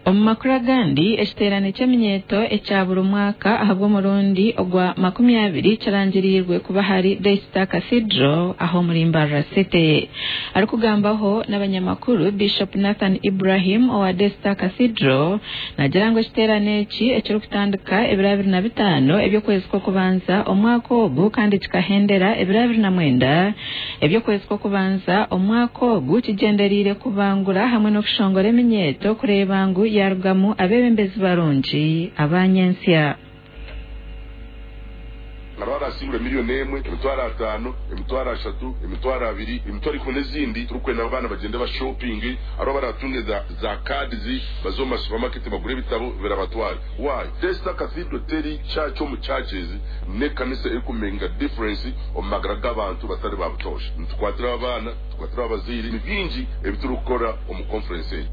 Omu makuru agandi, ekiteerane ky'eminyeeto ekya buri mwaka ahabw'omurundi ogwa 20 kirangiriirwe kuba ahari Daystar Cathedral aha omuri Mbarara City. Arikugambaho n'abanyamakuru, Bishop Nathan Ibrahim owa Daystar Cathedral naagira ngu ekiteerane eki ekirikutandika ebiro 25 eby'okwezi kw'okubanza omwaka ogu kandi kikahendera ebiro 29 eby'okwezi kw'okubanza omwaka ogu kigyendereire kubangura hamwe n'okushongora eminyeeto kureeba ngu yarugamu abeebembezi barungi aba nyentsya. Hariho abasingura 1,000,000, 500,000, 30,000, 20,000, 100,000 n'ezindi. Turikwenda abaana bagyende bashopinge. Hariho abaratunge za za cards baze omu masupamaketi bagure ebitabo birabatware. Why? Daystar Cathedral teri church omu churches, n'ekanisa erikumakinga difference omu magara g'abantu batari ba butoosha. Nitukwatiraho abaana, tukwatiraho abazaire, ni bingi ebi turikukora omu conference egi.